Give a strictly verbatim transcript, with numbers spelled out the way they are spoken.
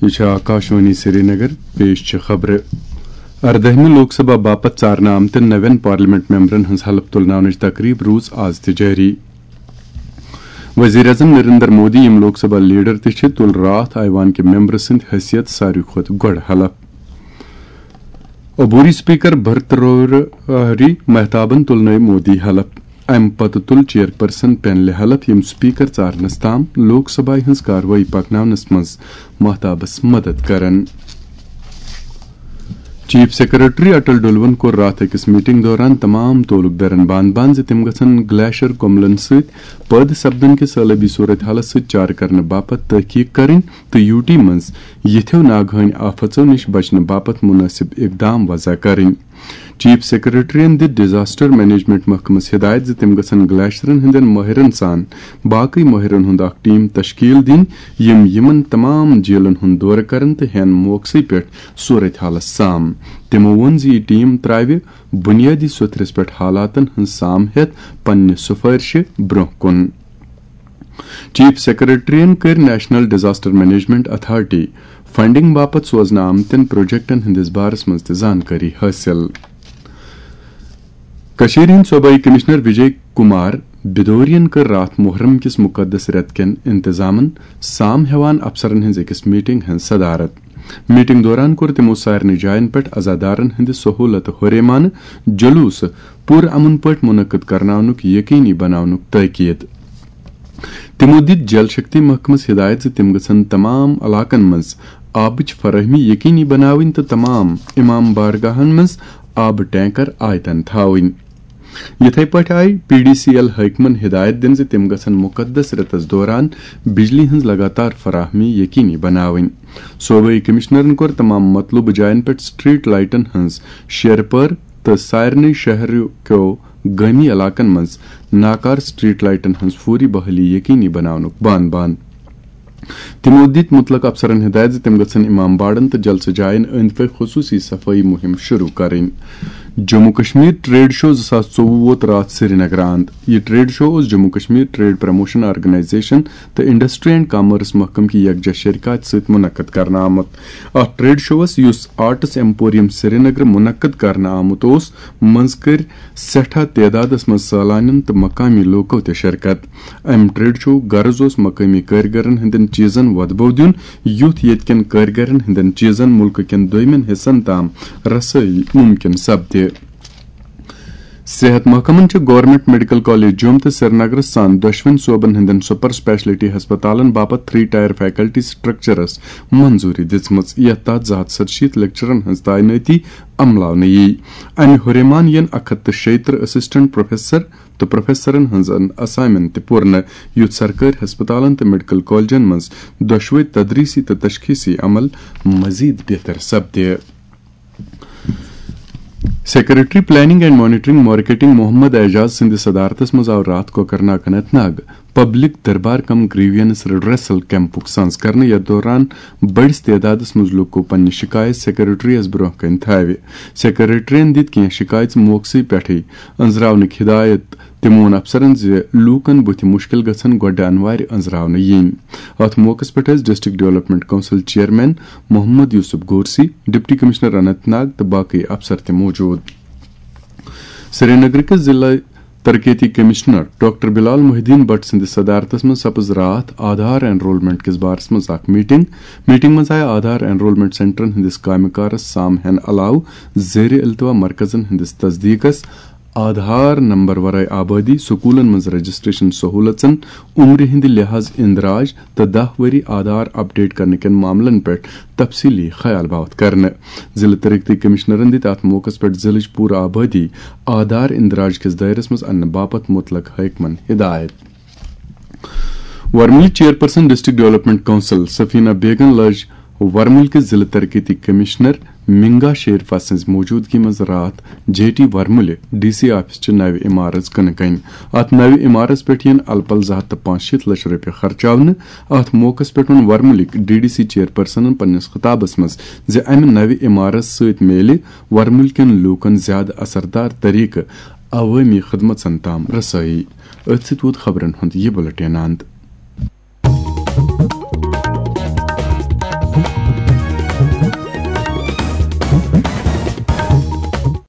یہِ چھِ آکاشوانی سرینگر، پیش چھِ خبرٕ۔ اردٲہمہِ لوک سبھا باپتھ ژارنہٕ آمتٮ۪ن نوٮ۪ن پارلیمنٹ ممبرن ہٕنٛز حلف تُلناونٕچ تقریب روٗز آز تہِ جٲری۔ وزیر اعظم نریندر مودی، یِم لوک سبھا لیڈر تہِ چھِ، تُل راتھ ایوان کہِ ممبرٕ سٕنٛدِ حیثیت ساروی کھۄتہٕ گۄڈٕ حلف۔ عبوری اسپیکر بھرتروہری مہتابن تُلنٲوۍ مودی حلف۔ امہِ پتہٕ تُل چیئرپرسن پینلہِ حلف، یِم اسپیکر ژارنس تام لوک سبھایہ ہٕنٛز کاروٲیی پکناونس منٛز مہتابس مدد کرن۔ چیف سیکرٹری اٹل ڈلون کوٚر راتھ أکِس میٹنگ دوران تمام تعلق دارن بان بان زِ تِم گژھن گلیشر کملن سۭتۍ پٲدٕ سپدن کہِ سٲلٲبی صورت حالس سۭتۍ چارٕ کرنہٕ باپتھ تحقیق کرٕنۍ تہٕ یوٗ ٹی منٛز یِتھیو ناگہٲنۍ آفژو نِش بچنہٕ باپتھ مناسب اقدام وضع کرٕنۍ۔ چیف سیکرٹریَن دِژ ڈیزاسٹر مینجمنٹ محکمس ہدایت زِ تِم گژھن گلیشرن ہٕنٛدٮ۪ن مٲہرن سان باقٕے مٲہرن ہُنٛد اکھ ٹیم تشکیل دِنۍ، یِم یِمن تمام جیلن ہُنٛد دورٕ کرن تہٕ ہٮ۪ن موقعسٕے پٮ۪ٹھ صورت حالس سام۔ تِمو ووٚن زِ یہِ ٹیم تراوِ بنیٲدی سوٚتھرِس پٮ۪ٹھ حالاتن ہٕنٛز سام ہٮ۪تھ پننہِ سفٲرشہِ برونٛہہ کُن۔ چیف سیکرٹریَن کٔر national disaster management authority funding باپتھ سوزنہٕ آمتٮ۪ن پروجیکٹن ہٕنٛدِس بارس منٛز تہِ زانکٲری حٲصِل۔ کٔشیٖرِ ہٕنٛدۍ صوبٲئی کمشنر وجے کمار بدوریَن کٔر راتھ محرم کِس مقدس رٮ۪تہٕ کٮ۪ن انتظامن سام ہٮ۪وان افسرن ہٕنٛز أکِس میٹنگ ہٕنٛز صدارت۔ میٹنگ دوران کوٚر تِمو سارنٕے جاین پٮ۪ٹھ عزادارن ہٕنٛدِ سہولتہٕ ہُریمانہٕ جلوٗسہٕ پُر امن پٲٹھۍ منعقد کرناونُک یقینی بناونُک تٲکید۔ تِمو دِتۍ جل شکتی محکمس ہدایت زِ تِم گژھن تمام علاقن منٛز آبٕچ فراہمی یقینی بناوٕنۍ تہٕ تمام امام بارگاہن منٛز آبہٕ ٹینکر آیتن تھاوٕنۍ۔ یِتھے پٲٹھۍ آیہِ پی ڈی سی ایل حٲکمن ہدایت دِنہٕ زِ تِم گژھن مقدس رٮ۪تس دوران بجلی ہٕنٛز لگاتار فراہمی یقینی بناوٕنۍ۔ صوبٲئی کمشنرن کوٚر تمام مطلوبہٕ جاین پٮ۪ٹھ سٹریٹ لائٹن ہٕنٛز شیرپٲر تہٕ سارنٕے شہرٕ کیو گٲمی علاقن منٛز ناکار سٹریٹ لائٹن ہٕنٛز فوری بحالی یقینی بناونُک بان بان۔ تِمو دِتۍ مُتلق افسرن ہدایت زِ تِم گژھن امام باڑن تہٕ جلسہٕ جاین أنٛدۍ پٔکۍ خصوٗصی صفٲیی مُہِم شروٗع کرٕنۍ۔ جموں کشمیر ٹریڈ شو زٕ ساس ژوٚوُہ ووت راتھ سرینگر آند۔ یہِ ٹریڈ شو اوس Jammu Kashmir trade promotion organisation تہٕ انڈسٹری اینڈ کامٲرس محکمہٕ کہِ یکجا شرکت سۭتۍ منعقد کرنہٕ آمُت۔ اتھ ٹریڈ شوس، یُس آرٹس ایمپوریم سرینگر منعقد کرنہٕ آمُت اوس، منٛز کٔرۍ سٮ۪ٹھاہ تعدادس منٛز سٲلانٮ۪ن تہٕ مقامی لوٗکو تہِ شرکت۔ امہِ ٹریڈ شوُک غرض اوس مقٲمی کٲرگرن ہٕنٛدٮ۪ن چیٖزن وۄدبو دیُن، یُتھ ییٚتہِ کٮ۪ن کٲرگرن ہٕنٛدٮ۪ن چیٖزن مُلکہٕ کٮ۪ن دوٚیمٮ۪ن حصن تام رسٲیی مُمکِن سپدِ۔ صحت محکمن چھِ گورنمنٹ میڈیکل کالج جوٚم تہٕ سرینگرس سان دۄشوٕنۍ صوبن ہٕنٛدٮ۪ن سپر اسپیشلٹی ہسپتالن باپتھ تھری ٹائر فیکلٹی سٹرکچرس منظوری دِژمٕژ، یتھ تحت زٕ ہتھ ستشیٖتھ لیکچرن ہٕنٛز تعینٲتی عملاونہٕ یِیہِ۔ امہِ ہُریمان یِن اکھ ہتھ تہٕ شیٚیہِ ترٕہ اسسٹنٹ پروفیسر تہٕ پروفیسرن ہٕنٛزن اسامین تہِ پوٗرنہٕ، یُتھ سرکٲرۍ ہسپتالن تہٕ میڈیکل کالجن منٛز دۄشوے تدریسی تہٕ تشخیصی عمل مزید بہتر سپدِ۔ Secretary planning and monitoring marketing Mohammad Ejaz سٕنٛدِس صدارتس منٛز آو راتھ Kokernag Anantnag public darbar cum grievance redressal کیمپُک سانز کرنہٕ، یتھ دوران بٔڑِس تعدادس منٛز لوٗکو پننہِ شکایت سیکرٹریس برونٛہہ کنہِ تھاوِ۔ سیکرٹریَن دِتۍ کینٛہہ شکایژٕ موقعسٕے پٮ۪ٹھٕے أنٛزراونٕکۍ ہدایت۔ تِمو ووٚن افسرن زِ لوٗکن بُتھِ مُشکِل گژھن گۄڈٕ انوارِ أنٛزراونہٕ یِنۍ۔ اتھ موقعس پٮ۪ٹھ ٲسۍ district development council chairman Mohammad Yousuf Gorsi, deputy commissioner Anantnag تہٕ باقٕے افسر تہِ موجود۔ سرینگر کِس ضلع ترقیتی commissioner doctor Bilal Mohiuddin Bhat سٕنٛدِس صدارتس منٛز سپٕز راتھ آدھار اینرولمنٹ کِس بارس منٛز اکھ میٹنگ۔ میٹنگ منٛز آیہِ آدھار اینرولمنٹ سینٹرن ہٕنٛدِس کامہِ کارس سام ہٮ۪نہٕ علاوٕ زیر التوا مرکزن ہٕنٛدِس تصدیقس، آدھار نمبر ورٲے آبادی، سکولن منٛز رجسٹریشن سہولژن، عمرِ ہٕنٛدِ لحاظ اندراج تہٕ دَہ ؤری آدھار اپڈیٹ کرنہٕ کٮ۪ن معاملن پٮ۪ٹھ تفصیلی خیال باوتھ کرنہٕ۔ ضلع ترقیتی کمشنرن دِتۍ اتھ موقعس پٮ۪ٹھ ضلعٕچ پوٗرٕ آبادی آدھار اندراج کِس دٲیرس منٛز اننہٕ باپتھ مُتلق حٲکمن ہدایت۔ ورمُلٕچ چیئرپرسن ڈسٹرکٹ ڈیولپمنٹ کونسل سفینہ بیگن لٲج ورمُلۍ کِس ضلع ترقیتی کمشنر منگا شیرفا سٕنٛز موجودگی منٛز راتھ جے ٹی ورمُلہِ ڈی سی آفس چہِ نوِ عمارژ کٕنہٕ کنۍ۔ اتھ نوِ عمارژ پٮ۪ٹھ یِن الہٕ پلہٕ زٕ ہتھ تہٕ پانٛژشیٖتھ لچھ رۄپیہِ خرچاونہٕ۔ اتھ موقعس پٮ۪ٹھ ووٚن ورمُلٕکۍ ڈی ڈی سی چیئرپرسنن پننِس خطابس منٛز زِ امہِ نوِ عمارژ سۭتۍ میلہِ ورمُلۍ کٮ۪ن لوٗکن زیادٕ اثردار طریقہٕ عوٲمی خدمژن تام رسٲیی۔ أتھۍ سۭتۍ ووت خبرن ہُنٛد یہِ بُلٹن اند۔